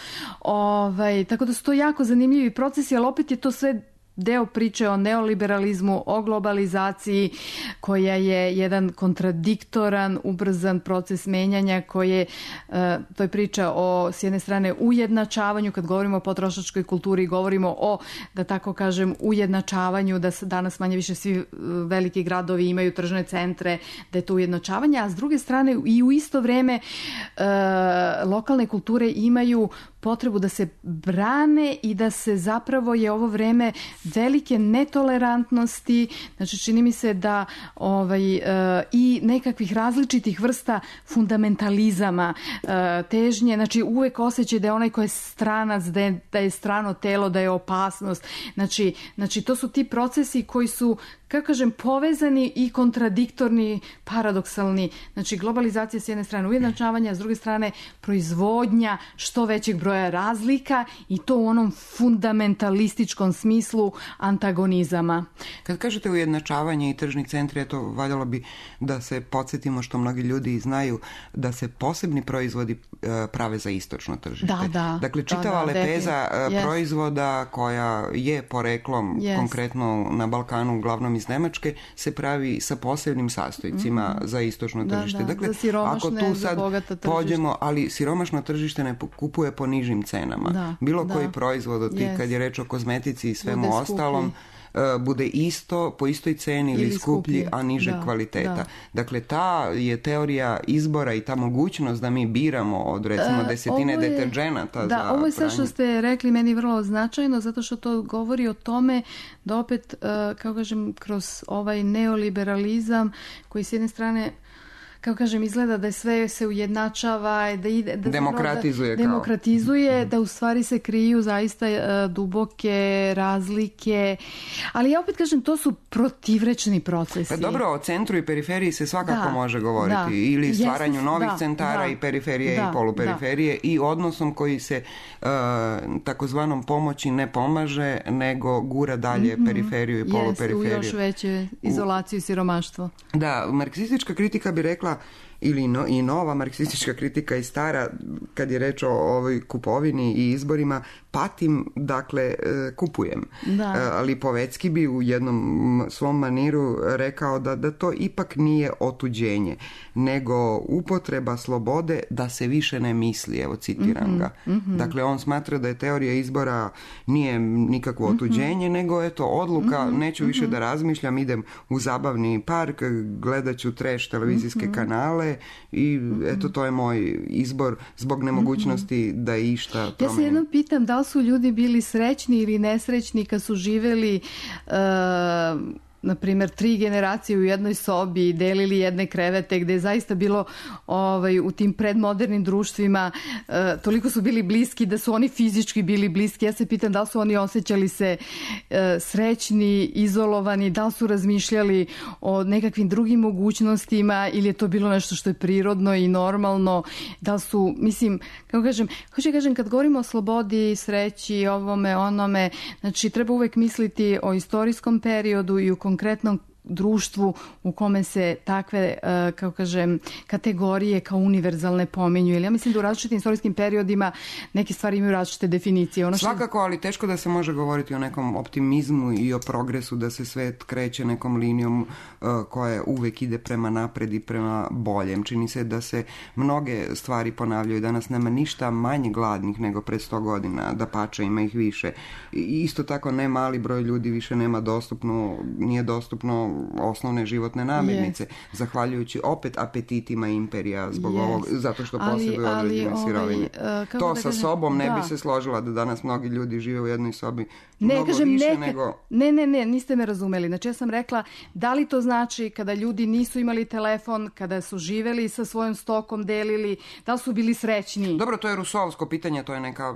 Ovaj, tako da su to jako zanimljivi procesi, ali opet je to sve deo priče o neoliberalizmu, o globalizaciji, koja je jedan kontradiktoran, ubrzan proces menjanja, koje, to je priča o, s jedne strane, ujednačavanju, kad govorimo o potrošačkoj kulturi, govorimo o, da tako kažem, ujednačavanju, da danas manje više svi veliki gradovi imaju tržne centre, da je to ujednačavanje, a s druge strane i u isto vreme lokalne kulture imaju potrebu da se brane i da se zapravo je ovo vreme velike netolerantnosti, znači čini mi se da ovaj, e, i nekakvih različitih vrsta fundamentalizama, e, težnje, znači uvek osjećaj da je onaj ko je stranac, da je, da je strano telo, da je opasnost. Znači, znači to su ti procesi koji su, kako kažem, povezani i kontradiktorni, paradoksalni. Znači globalizacija s jedne strane ujednačavanja, s druge strane proizvodnja što većeg broja razlika i to u onom fundamentalističkom smislu antagonizama. Kad kažete ujednačavanje i tržni centri, to valjalo bi da se podsjetimo, što mnogi ljudi znaju, da se posebni proizvodi prave za istočno tržište. Da, da. Dakle, čitava da, da, lepeza yes. proizvoda koja je poreklom yes. konkretno na Balkanu, uglavnom iz Nemačke, se pravi sa posebnim sastojcima mm-hmm. za istočno tržište. Da, da. Dakle, za siromašne, ako tu za sad bogata tržište. pođemo, ali siromašno tržište ne kupuje po nižim cenama. Da, Bilo da. koji proizvod od tih, yes. kad je reč o kozmetici i svemu bude ostalom, skuplji. bude isto, po istoj ceni ili, ili skuplji, skuplji, a niže da, kvaliteta. Da. Dakle, ta je teorija izbora i ta mogućnost da mi biramo od, recimo, desetine e, je, deterđenata da, za pranje. Ovo je sve što ste rekli meni vrlo značajno, zato što to govori o tome da opet, kako kažem, kroz ovaj neoliberalizam koji s jedne strane, kako kažem, izgleda da je sve se ujednačava, da ide, da demokratizuje, da, demokratizuje da u stvari se kriju zaista uh, duboke razlike, ali ja opet kažem, to su protivrečni procesi. Pa dobro, o centru i periferiji se svakako da, može govoriti, da, ili stvaranju jesno, novih da, centara da, i periferije da, i poluperiferije da. i odnosom koji se uh, takozvanom pomoći ne pomaže, nego gura dalje mm-hmm. periferiju i poluperiferiju. Yes, u još veće izolaciju i siromaštvo. Da, marksistička kritika bi rekla, ili no, i nova marksistička kritika i stara, kad je reč o ovoj kupovini i izborima, patim, dakle, kupujem. Da. Ali Lipovecki bi u jednom svom maniru rekao da, da to ipak nije otuđenje, nego upotreba slobode da se više ne misli, evo citiram mm-hmm, ga. Mm-hmm. Dakle, on smatra da je teorija izbora nije nikakvo otuđenje, mm-hmm. nego je to odluka, mm-hmm, neću više mm-hmm. da razmišljam, idem u zabavni park, gledat ću trash televizijske mm-hmm. kanale i mm-hmm. eto, to je moj izbor zbog nemogućnosti mm-hmm. da išta promenim. Ja se jednom pitam da li su ljudi bili srećni ili nesrećni kad su živeli uh, na primjer, tri generacije u jednoj sobi delili jedne krevete, gde je zaista bilo ovaj, u tim predmodernim društvima e, toliko su bili bliski da su oni fizički bili bliski. Ja se pitam da li su oni osjećali se e, srećni, izolovani, da li su razmišljali o nekakvim drugim mogućnostima ili je to bilo nešto što je prirodno i normalno, da li su, mislim, kako kažem, hoću kažem, kad govorimo o slobodi, sreći, ovome, onome, znači treba uvek misliti o istorijskom periodu i u konkretnom društvu u kome se takve, kako kažem, kategorije kao univerzalne pominju. Ili ja mislim da u različitim istorijskim periodima neke stvari imaju različite definicije. Ono što... Svakako, ali teško da se može govoriti o nekom optimizmu i o progresu, da se svet kreće nekom linijom uh, koja uvek ide prema napred i prema boljem. Čini se da se mnoge stvari ponavljaju. Danas nema ništa manje gladnih nego pred sto godina, da pače ima ih više. I isto tako ne mali broj ljudi više nema dostupno, nije dostupno osnovne životne namirnice, yes. zahvaljujući opet apetitima imperija zbog yes. ovog, zato što posjeduju određene sirovine. Uh, to sa kažem, sobom ne da. bi se složila da danas mnogi ljudi žive u jednoj sobi ne, mnogo kažem, više neka, nego... Ne, ne, ne, niste me razumeli. Znači ja sam rekla, da li to znači kada ljudi nisu imali telefon, kada su živeli sa svojom stokom, delili, da li su bili srećni? Dobro, to je rusovsko pitanje, to je neka...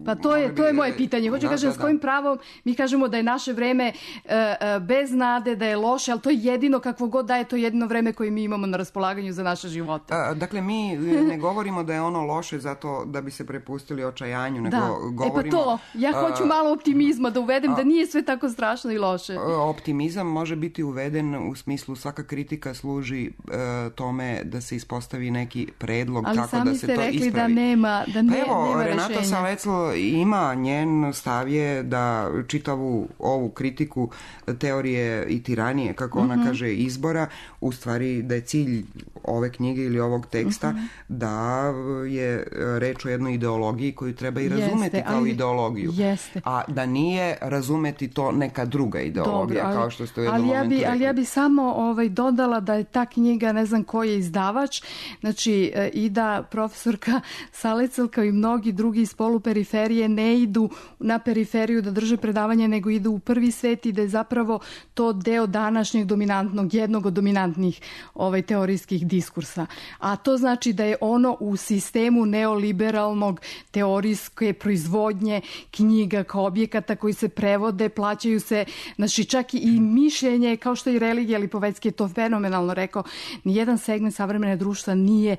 Pa to je, to je moje pitanje. Hoću da, kažem, da, s kojim da. pravom mi kažemo da je naše vreme uh, uh, bez nade, da je loše, ali to je jedino, kakvo god da je, to jedino vreme koje mi imamo na raspolaganju za naše živote. A, dakle, mi ne govorimo da je ono loše zato da bi se prepustili očajanju, nego da. govorimo... E pa to, ja hoću malo optimizma da uvedem, a, da nije sve tako strašno i loše. Optimizam može biti uveden u smislu svaka kritika služi uh, tome da se ispostavi neki predlog ali kako da se to ispravi. Ali sami ste rekli da nema, da ne, pa evo, nema Renata rešenja. Salecl ima, njen stav je da čitavu ovu kritiku teorije i tiranije, kako ona mm-hmm. kaže, izbora, u stvari da je cilj ove knjige ili ovog teksta mm-hmm. da je reč o jednoj ideologiji koju treba i razumeti jeste, kao ali, ideologiju. Jeste. A da nije razumeti to neka druga ideologija, dobro, ali, kao što ste u jednom ali ja momentu bi, rekli. Ali ja bi samo ovaj, dodala da je ta knjiga, ne znam ko je izdavač, znači i da profesorka Salecl kao i mnogi drugi iz poluperiferije ne idu na periferiju da drže predavanje, nego idu u prvi svet i da je zapravo to deo današnjeg dominantnog, jednog od dominantnih ovaj, teorijskih diskursa. A to znači da je ono u sistemu neoliberalnog teorijske proizvodnje knjiga kao objekata koji se prevode, plaćaju se, znači čak i mišljenje, kao što i religija, Lipovecki je to fenomenalno rekao, nijedan segment savremene društva nije,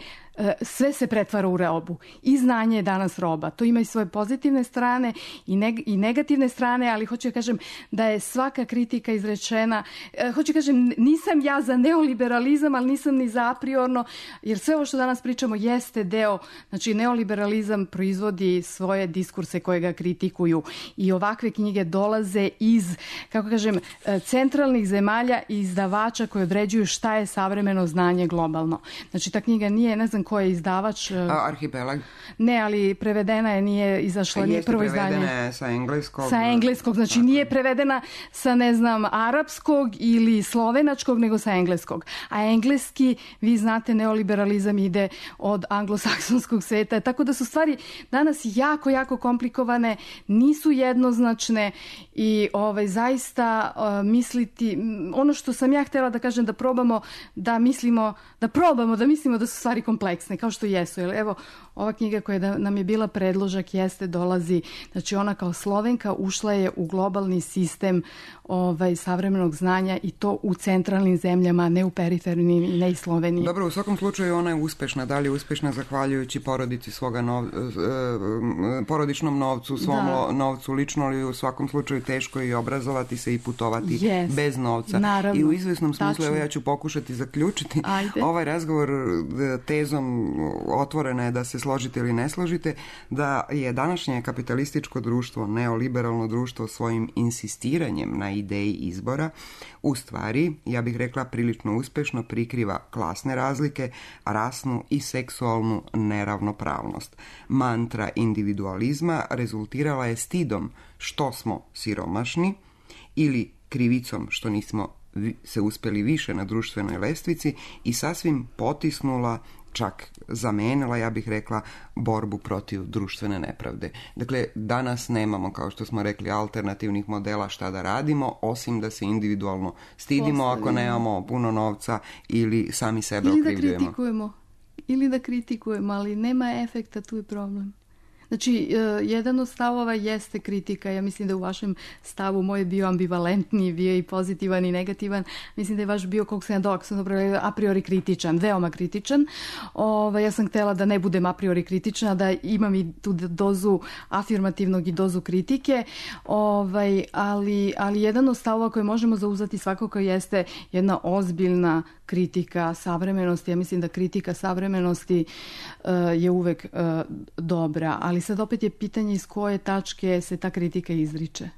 sve se pretvara u robu. I znanje je danas roba. To ima i svoje pozitivne strane i, neg- i negativne strane, ali hoću da kažem da je svaka kritika izrečena. Hoću da kažem, nisam ja za neoliberalizam, ali nisam ni za apriorno, jer sve ovo što danas pričamo jeste deo, znači neoliberalizam proizvodi svoje diskurse koje ga kritikuju i ovakve knjige dolaze iz, kako kažem, centralnih zemalja i izdavača koji određuju šta je savremeno znanje globalno. Znači ta knjiga nije, ne znam ko je izdavač. A, Arhipelag. Ne, ali prevedena je, nije izašla, nije prvo izdanje. Jeste prevedena sa engleskog. Sa engleskog, znači tako. Nije prevedena sa, ne znam, arapskog ili slovenačkog, nego sa engleskog. A engleski, vi znate, neoliberalizam ide od anglosaksonskog sveta, tako da su stvari danas jako, jako komplikovane, nisu jednoznačne i ovaj, zaista uh, misliti, ono što sam ja htjela da kažem, da probamo da mislimo, da probamo da mislimo da su stvari kompleksne, kao što jesu. Jer evo, ova knjiga koja da nam je bila predložak jeste, dolazi, znači ona kao Slovenka ušla je u globalni sistem ovaj, savremenog znanja i to u centralnim zemljama, ne u perifernim i ne i Sloveniji. Dobro, u svakom slučaju ona je uspešna. Da li je uspešna zahvaljujući porodici svoga nov, porodičnom novcu, svom da. novcu lično, ali u svakom slučaju teško je i obrazovati se i putovati yes, bez novca. Naravno, i u izvesnom smislu, tačno. Evo ja ću pokušati zaključiti Ajde. ovaj razgovor tezom, otvorena je da se složite ili ne složite, da je današnje kapitalističko društvo, neoliberalno društvo, svojim insistiranjem na ideji izbora u stvari, ja bih rekla, prilično uspešno prikriva klasne razlike, rasnu i seksualnu neravnopravnost. Mantra individualizma rezultirala je stidom što smo siromašni ili krivicom što nismo se uspeli više na društvenoj lestvici i sasvim potisnula čak zamenila, ja bih rekla, borbu protiv društvene nepravde. Dakle, danas nemamo, kao što smo rekli, alternativnih modela šta da radimo, osim da se individualno stidimo ako nemamo puno novca ili sami sebe ili okrivljujemo. Ili da kritikujemo. Ili da kritikujemo, ali nema efekta, tu je problem. Znači, jedan od stavova jeste kritika. Ja mislim da u vašem stavu moj je bio ambivalentni, bio i pozitivan i negativan. Mislim da je vaš bio, koliko sam ja dok sam dobro, a priori kritičan, veoma kritičan. Ove, ja sam htjela da ne budem a priori kritična, da imam i tu dozu afirmativnog i dozu kritike. Ove, ali, ali jedan od stavova koje možemo zauzeti svakako jeste jedna ozbiljna kritika savremenosti. Ja mislim da kritika savremenosti uh, je uvek uh, dobra, ali sad opet je pitanje iz koje tačke se ta kritika izriče.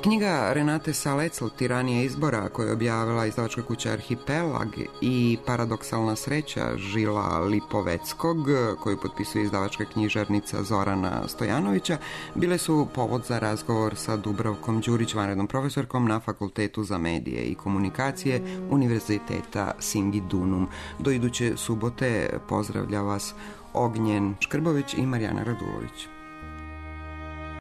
Knjiga Renate Salecl, Tiranija izbora, koju je objavila izdavačka kuća Arhipelag, i Paradoksalna sreća Žila Lipoveckog, koju potpisuje izdavačka knjižarnica Zorana Stojanovića, bile su povod za razgovor sa Dubravkom Đurić, vanrednom profesorkom na Fakultetu za medije i komunikacije Univerziteta Singidunum. Do iduće subote pozdravlja vas Ognjen Škrbović i Marijana Radulović.